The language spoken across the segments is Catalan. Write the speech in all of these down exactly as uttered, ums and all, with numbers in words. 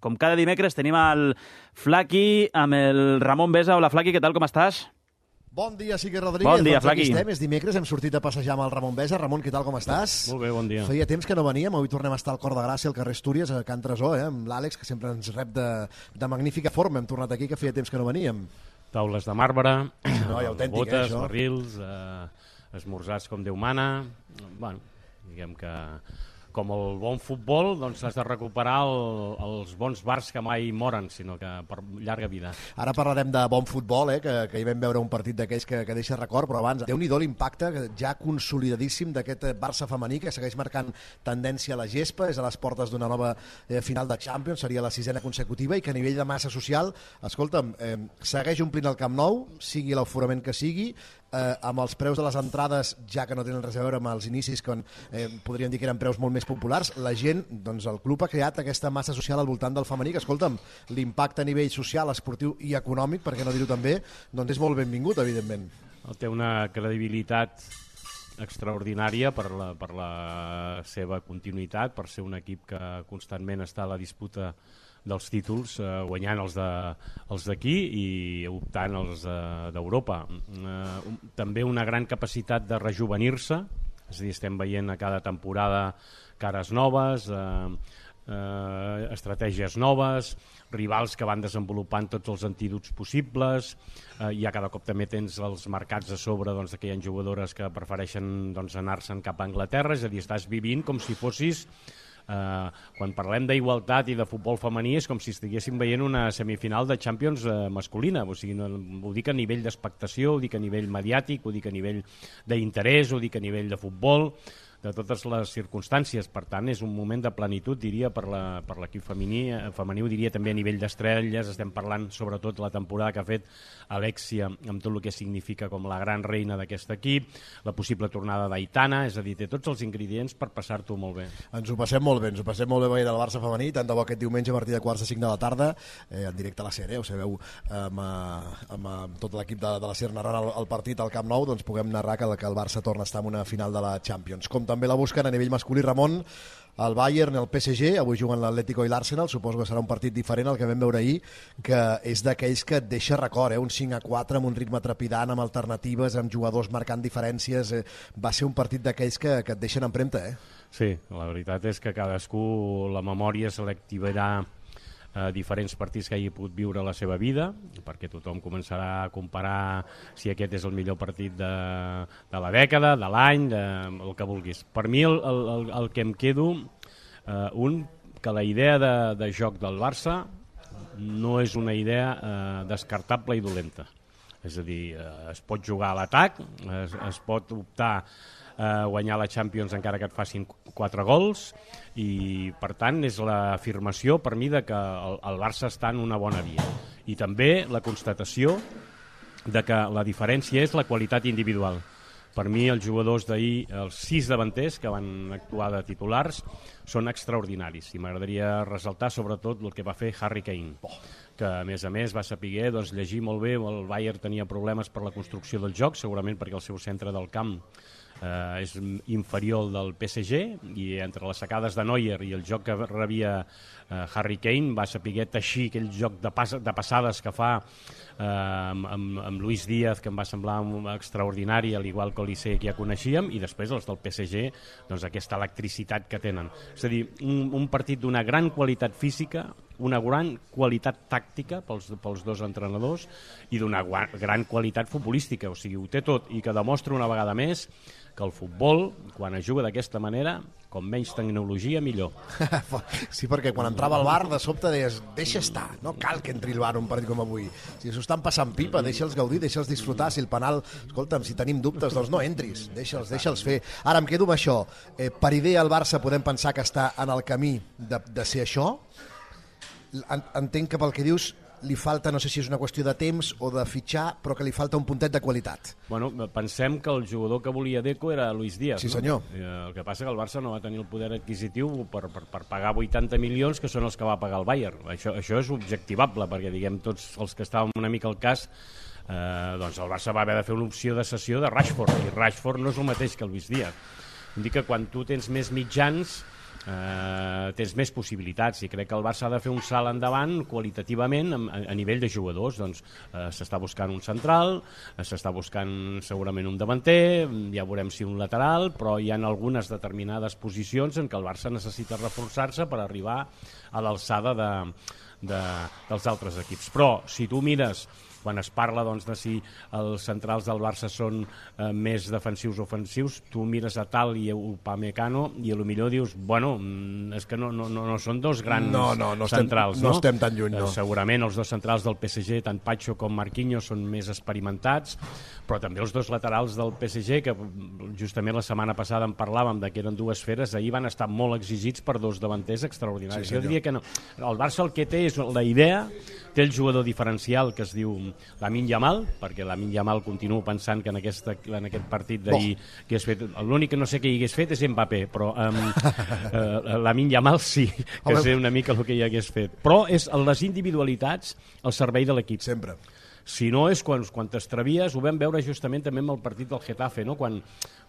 Com cada dimecres tenim el Flaqui amb el Ramon Besa. Hola, Flaqui, què tal, com estàs? Bon dia, Sique Rodríguez. Bon dia, doncs Flaqui. Aquí estem, és dimecres, hem sortit a passejar amb el Ramon Besa. Ramon, què tal, com estàs? Molt bé, bon dia. Feia temps que no veníem, avui tornem a estar al Cor de Gràcia, al carrer Astúries, a Can Tresor, eh? Amb l'Àlex, que sempre ens rep de, de magnífica forma. Hem tornat aquí, que feia temps que no veníem. Taules de marbre, No, i autèntic, botes, eh, això. barrils, eh, esmorzars com Déu mana. Bueno, diguem que com el bon futbol, doncs has de recuperar el, els bons bars que mai moren, sinó que per llarga vida. Ara parlarem de bon futbol, eh? que, que hi vam veure un partit d'aquells que, que deixa record, però abans, Déu-n'hi-do l'impacte ja consolidadíssim d'aquest Barça femení, que segueix marcant tendència a la gespa, és a les portes d'una nova eh, final de Champions, seria la sisena consecutiva, i que a nivell de massa social, escolta'm, eh, segueix omplint el Camp Nou, sigui l'aforament que sigui, eh, amb els preus de les entrades, ja que no tenen res a veure amb els inicis, quan eh, podríem dir que eren preus molt més populars, la gent, doncs el club ha creat aquesta massa social al voltant del femení, que escolta'm, l'impacte a nivell social, esportiu i econòmic, per què no dir-ho també, doncs és molt benvingut, evidentment. Té una credibilitat extraordinària per la, per la seva continuïtat, per ser un equip que constantment està a la disputa dels títols, eh, guanyant els de, els d'aquí i optant els d'Europa. Eh, també una gran capacitat de rejuvenir-se, és a dir, estem veient a cada temporada cares noves, eh, eh, estratègies noves, rivals que van desenvolupant tots els antídots possibles, eh, i a cada cop també tens els mercats a sobre, doncs, que hi ha jugadores que prefereixen, doncs, anar-se'n cap a Anglaterra, és a dir, estàs vivint com si fossis... Uh, quan parlem d'igualtat i de futbol femení és com si estiguéssim veient una semifinal de Champions uh, masculina, o sigui, no, ho dic a nivell d'expectació, ho dic a nivell mediàtic, ho dic a nivell d'interès, ho dic a nivell de futbol, de totes les circumstàncies. Per tant, és un moment de plenitud, diria, per la, per l'equip femení, femení, ho diria també a nivell d'estrelles. Estem parlant sobretot la temporada que ha fet Alexia, amb tot el que significa com la gran reina d'aquest equip, la possible tornada d'Aitana, és a dir, té tots els ingredients per passar-t'ho molt bé. Ens ho passem molt bé, ens ho passem molt bé veient el Barça femení, tant de bo aquest diumenge a partir de quarts de cinc de la tarda, eh, en directe a la sèrie, ho sabeu, amb, amb, amb tot l'equip de, de la sèrie narrant el, el partit al Camp Nou, doncs puguem narrar que, que el Barça torna a estar en una final de la Champions. Com també la busquen a nivell masculí, Ramon, el Bayern, el P S G, avui juguen l'Atlético i l'Arsenal, suposo que serà un partit diferent al que vam veure ahir, que és d'aquells que et deixa record, eh? Un cinc a quatre amb un ritme trepidant, amb alternatives, amb jugadors marcant diferències, eh? Va ser un partit d'aquells que, que et deixen empremta, eh? Sí, la veritat és que cadascú la memòria se l'activarà a diferents partits que hagi pogut viure a la seva vida, perquè tothom començarà a comparar si aquest és el millor partit de, de la dècada, de l'any, de, el que vulguis. Per mi el, el, el que em quedo, eh, un, que la idea de, de joc del Barça no és una idea eh, descartable i dolenta. És a dir, eh, es pot jugar a l'atac, es, es pot optar a guanyar la Champions encara que et facin quatre gols, i per tant és l'afirmació per mi de que el, el Barça està en una bona via, i també la constatació de que la diferència és la qualitat individual. Per mi els jugadors d'ahir, els sis davanters que van actuar de titulars, són extraordinaris, i m'agradaria ressaltar sobretot el que va fer Harry Kane, que a més a més va saber, doncs, llegir molt bé. El Bayern tenia problemes per la construcció del joc, segurament perquè el seu centre del camp eh, és inferior al del P S G, i entre les sacades de Neuer i el joc que rebia eh, Harry Kane va saber teixir aquell joc de, pas de passades que fa eh, amb, amb, amb Luis Díaz, que em va semblar extraordinari, al igual que l'Olise, que ja coneixíem, i després els del P S G, doncs, aquesta electricitat que tenen. És a dir, un, un partit d'una gran qualitat física, una gran qualitat tàctica pels, pels dos entrenadors, i d'una gran qualitat futbolística. O sigui, ho té tot, i que demostra una vegada més que el futbol, quan es juga d'aquesta manera, com menys tecnologia, millor. Sí, perquè quan entrava al bar, de sobte deies, deixa estar, no cal que entri al bar un partit com avui. Si s'ho estan passant pipa, deixa'ls gaudir, deixa'ls disfrutar. Si el penal, escolta'm, si tenim dubtes, doncs no entris, deixa'ls, deixa'ls fer. Ara em quedo amb això. Eh, per idea, el Barça podem pensar que està en el camí de, de ser això. Entenc que pel que dius li falta, no sé si és una qüestió de temps o de fitxar, però que li falta un puntet de qualitat. Bueno, pensem que el jugador que volia Deco era Luis Díaz. Sí, senyor. No? El que passa que el Barça no va tenir el poder adquisitiu per, per, per pagar vuitanta milions, que són els que va pagar el Bayern. Això, això és objectivable, perquè diguem tots els que estàvem una mica al cas, eh, doncs el Barça va haver de fer una opció de cessió de Rashford, i Rashford no és el mateix que Luis Díaz. Vull dir que quan tu tens més mitjans, eh, tens més possibilitats, i crec que el Barça ha de fer un salt endavant qualitativament a, a nivell de jugadors. Doncs eh, s'està buscant un central, eh, s'està buscant segurament un davanter, ja veurem si un lateral, però hi ha algunes determinades posicions en què el Barça necessita reforçar-se per arribar a l'alçada de, de, dels altres equips. Però si tu mires quan es parla doncs, de si els centrals del Barça són eh, més defensius o ofensius, tu mires a Tal i a Upamecano i a lo millor dius, bueno, és que no, no, no, no són dos grans no, no, no centrals. Estem, no? no estem tan lluny, no. Eh, segurament els dos centrals del P S G, tant Pacho com Marquinhos, són més experimentats, però també els dos laterals del P S G, que justament la setmana passada en parlàvem de que eren dues feres, ahir van estar molt exigits per dos davanters extraordinaris. Sí, jo diria que no. El Barça el que té és la idea, té el jugador diferencial que es diu Lamine Yamal, perquè Lamine Yamal continuo pensant que en, aquesta, en aquest partit d'ahir oh. que has fet, l'únic que no sé que hi hagués fet és Mbappé, però um, uh, Lamine Yamal sí, que Home. sé una mica el que hi hagués fet, però és les individualitats al servei de l'equip. Sempre. Si no és quan, quan t'extravies, ho vam veure justament també amb el partit del Getafe, no? quan,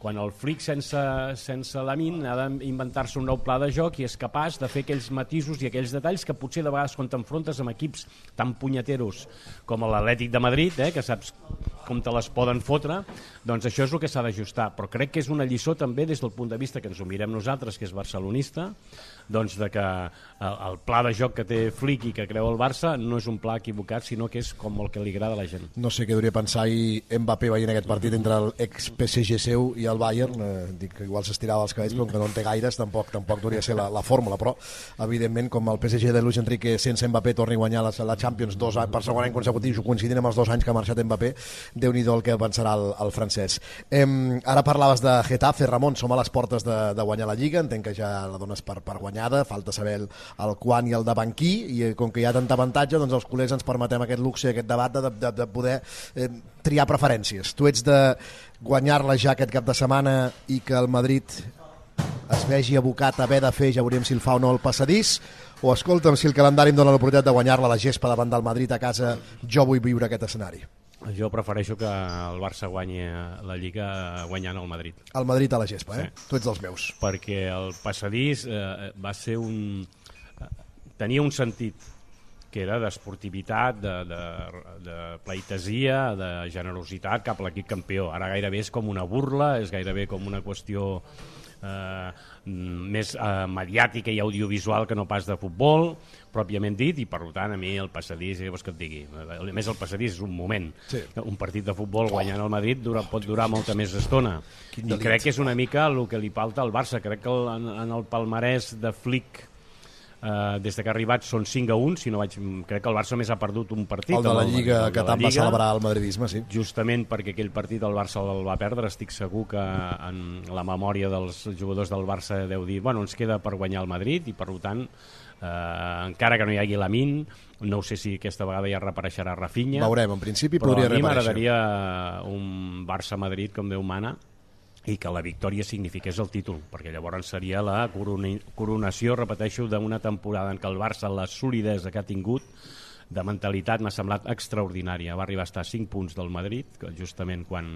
quan el Flick sense, sense Lamine ha d'inventar-se un nou pla de joc i és capaç de fer aquells matisos i aquells detalls que potser de vegades quan t'enfrontes amb equips tan punyeteros com l'Atlètic de Madrid, eh, que saps com te les poden fotre, doncs això és el que s'ha d'ajustar. Però crec que és una lliçó també des del punt de vista que ens ho mirem nosaltres, que és barcelonista, doncs de que el, el pla de joc que té Flick i que creu el Barça no és un pla equivocat, sinó que és com el que li agrada a la gent. No sé què hauria pensar i Mbappé veient aquest partit entre l'ex-P S G seu i el Bayern, eh, dic que igual s'estirava els cabells, però que no en té gaires, tampoc tampoc hauria de ser la, la fórmula, però evidentment com el P S G de Luis Enrique sense Mbappé torni a guanyar la, la Champions dos anys, per segon any consecutiu, coincidint amb els dos anys que ha marxat Mbappé, Déu-n'hi-do el que pensarà el, el francès. Eh, ara parlaves de Getafe, Ramon, som a les portes de, de guanyar la Lliga, entenc que ja la dones per, per guanyada, falta saber el, el quan i el de banquí, i eh, com que hi ha tanta avantatge, doncs els culers ens permetem aquest luxe, aquest debat de, de, de poder eh, triar preferències. Tu ets de guanyar-la ja aquest cap de setmana i que el Madrid es vegi abocat a haver de fer, ja veuríem si el fa o no el passadís, o escolta'm, si el calendari em dona l'oportunitat de guanyar-la a la gespa davant del Madrid a casa, jo vull viure aquest escenari. Jo prefereixo que el Barça guanyi la Lliga guanyant el Madrid. El Madrid a la gespa, eh? Sí. Tu ets dels meus. Perquè el passadís eh, va ser un... tenia un sentit que era d'esportivitat, de, de, de pleitesia, de generositat cap a l'equip campió. Ara gairebé és com una burla, és gairebé com una qüestió eh, més eh, mediàtica i audiovisual que no pas de futbol, pròpiament dit, i per tant a mi el passadís, què vols que et digui? A més el passadís és un moment. Sí. Un partit de futbol guanyant el Madrid dura, pot durar molta més estona. I crec que és una mica el que li falta al Barça. Crec que el, en, en el palmarès de Flick Uh, des que ha arribat són cinc a un, si no vaig... crec que el Barça més ha perdut un partit. El de la Lliga, el, el que tant va celebrar el madridisme, sí. Justament perquè aquell partit el Barça el va perdre, estic segur que en la memòria dels jugadors del Barça deu dir, bueno, ens queda per guanyar el Madrid i per tant, uh, encara que no hi hagi Lamine, no sé si aquesta vegada ja reapareixerà Rafinha. Veurem, en principi podria reaparèixer. Però a mi m'agradaria un Barça-Madrid com Déu mana, i que la victòria signifiqués el títol, perquè llavors seria la coronació, repeteixo, d'una temporada en què el Barça, la solidesa que ha tingut de mentalitat m'ha semblat extraordinària. Va arribar a estar a cinc punts del Madrid, justament quan,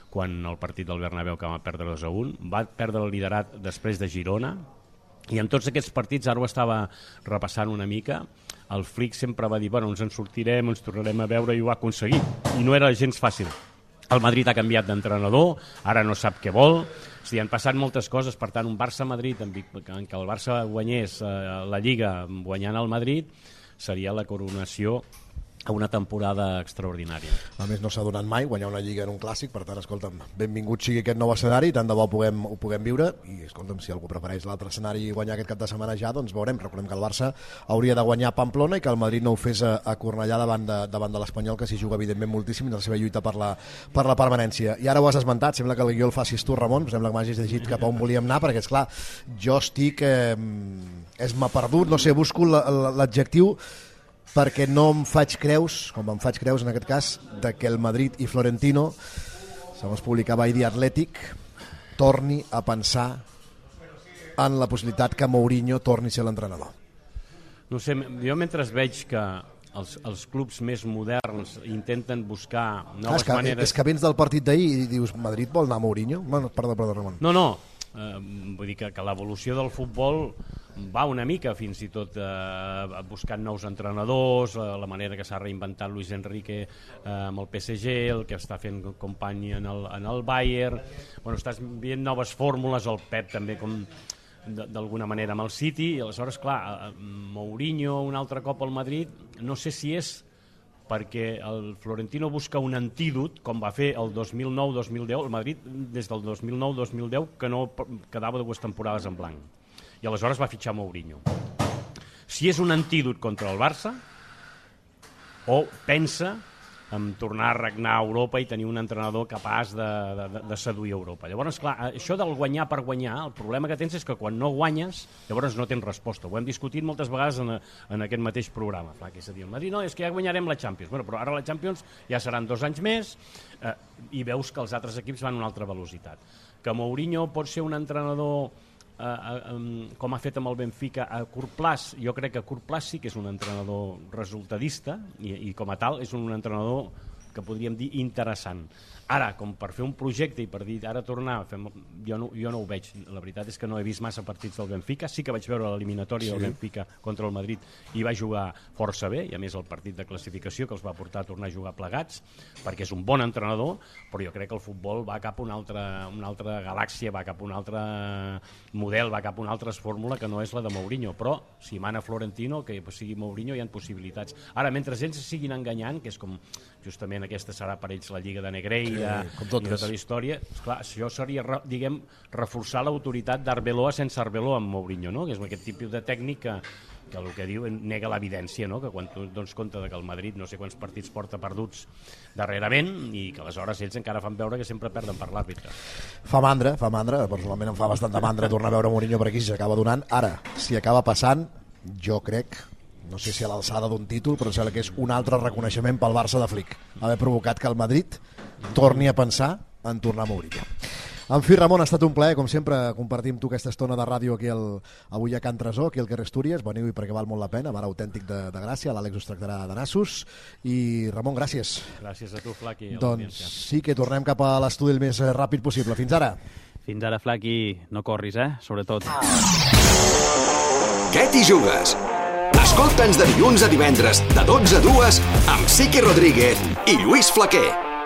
quan el partit del Bernabéu que va perdre dos a un, va perdre el liderat després de Girona, i en tots aquests partits, ara ho estava repassant una mica, el Flick sempre va dir, bueno, ens en sortirem, ens tornarem a veure, i ho ha aconseguit, i no era gens fàcil. El Madrid ha canviat d'entrenador, ara no sap què vol, o sigui, han passat moltes coses, per tant un Barça-Madrid en què el Barça guanyés eh, la Lliga guanyant el Madrid seria la coronació a una temporada extraordinària. A més no s'ha donat mai guanyar una Lliga en un clàssic, per tant, escolta'm, benvingut sigui aquest nou escenari, tant de bo puguem, ho puguem viure, i escolta'm, si algú prefereix l'altre escenari i guanyar aquest cap de setmana ja, doncs veurem. Recordem que el Barça hauria de guanyar a Pamplona i que el Madrid no ho fes a, a Cornellà davant de, davant de l'Espanyol, que s'hi juga evidentment moltíssim en la seva lluita per la, per la permanència. I ara ho has esmentat, sembla que el guió el facis tu, Ramon, sembla que m'hagis llegit cap a on volíem anar, perquè esclar, jo estic eh, és m'ha perdut, no sé, busco l'adjectiu, perquè no em faig creus, com em faig creus en aquest cas, de que el Madrid i Florentino, segons publicava ahir The Athletic, torni a pensar en la possibilitat que Mourinho torni a ser l'entrenador. No sé, jo mentre veig que els, els clubs més moderns intenten buscar noves ah, és que, maneres... És que vens del partit d'ahir i dius, Madrid vol anar a Mourinho? Bueno, perdó, perdó, Ramon. No, no, eh, vull dir que, que l'evolució del futbol va una mica fins i tot eh, buscant nous entrenadors, eh, la manera que s'ha reinventat Luis Enrique eh, amb el P S G, el que està fent company en el, en el Bayern, bueno, estàs veient noves fórmules, el Pep també com d'alguna manera amb el City, i aleshores, clar, Mourinho un altre cop al Madrid, no sé si és perquè el Florentino busca un antídot, com va fer el dos mil nou dos mil deu, el Madrid des del dos mil nou dos mil deu que no quedava dues temporades en blanc, i aleshores va fitxar Mourinho. Si és un antídot contra el Barça, o pensa en tornar a regnar a Europa i tenir un entrenador capaç de, de, de seduir Europa. Llavors, clar, això del guanyar per guanyar, el problema que tens és que quan no guanyes, llavors no tens resposta. Ho hem discutit moltes vegades en, en aquest mateix programa. Clar, que és a dir, el Madrid, no, és que ja guanyarem la Champions. Bueno, però ara la Champions ja seran dos anys més eh, i veus que els altres equips van a una altra velocitat. Que Mourinho pot ser un entrenador Uh, uh, um, com ha fet amb el Benfica a curt plaç, jo crec que a curt plaç sí que és un entrenador resultadista i, i com a tal és un entrenador que podríem dir interessant. Ara, com per fer un projecte i per dir ara tornar, fem, jo, no, jo no ho veig. La veritat és que no he vist massa partits del Benfica, sí que vaig veure l'eliminatòria sí. del Benfica contra el Madrid i va jugar força bé, i a més el partit de classificació que els va portar a tornar a jugar plegats, perquè és un bon entrenador, però jo crec que el futbol va cap a una altra, una altra galàxia, va cap a un altre model, va cap a una altra fórmula que no és la de Mourinho, però si mana Florentino, que sigui Mourinho, hi ha possibilitats. Ara, mentre ells siguin enganyant, que és com justament aquesta serà per ells la Lliga de Negreira sí, i tota la història, esclar, això seria, diguem, reforçar l'autoritat d'Arbeloa sense Arbeloa amb Mourinho, no? Que és aquest tipus de tècnic que, que el que diu nega l'evidència, no? Que quan tu dones compte de que el Madrid no sé quants partits porta perduts darrerament i que aleshores ells encara fan veure que sempre perden per l'àrbitre. Fa mandra, fa mandra, personalment em fa bastanta mandra tornar a veure Mourinho per aquí si s'acaba donant. Ara, si acaba passant, jo crec, no sé si a l'alçada d'un títol, però sembla que és un altre reconeixement pel Barça de Flick, haver provocat que el Madrid torni a pensar en tornar a Mourinho. En fi, Ramon, ha estat un plaer, com sempre, compartir amb tu aquesta estona de ràdio aquí el, avui a Can Tresor, aquí al carrer Astúries. Veniu-hi perquè val molt la pena, bar autèntic de, de Gràcia, l'Àlex us tractarà de nassos. I, Ramon, gràcies. Gràcies a tu, Flaqui. Doncs sí que tornem cap a l'estudi el més ràpid possible. Fins ara. Fins ara, Flaqui, no corris, eh? Sobretot. Què t'hi jugues? Escolta'ns de dilluns a divendres, de dotze a dues, amb Siqui Rodríguez i Lluís Flaquer.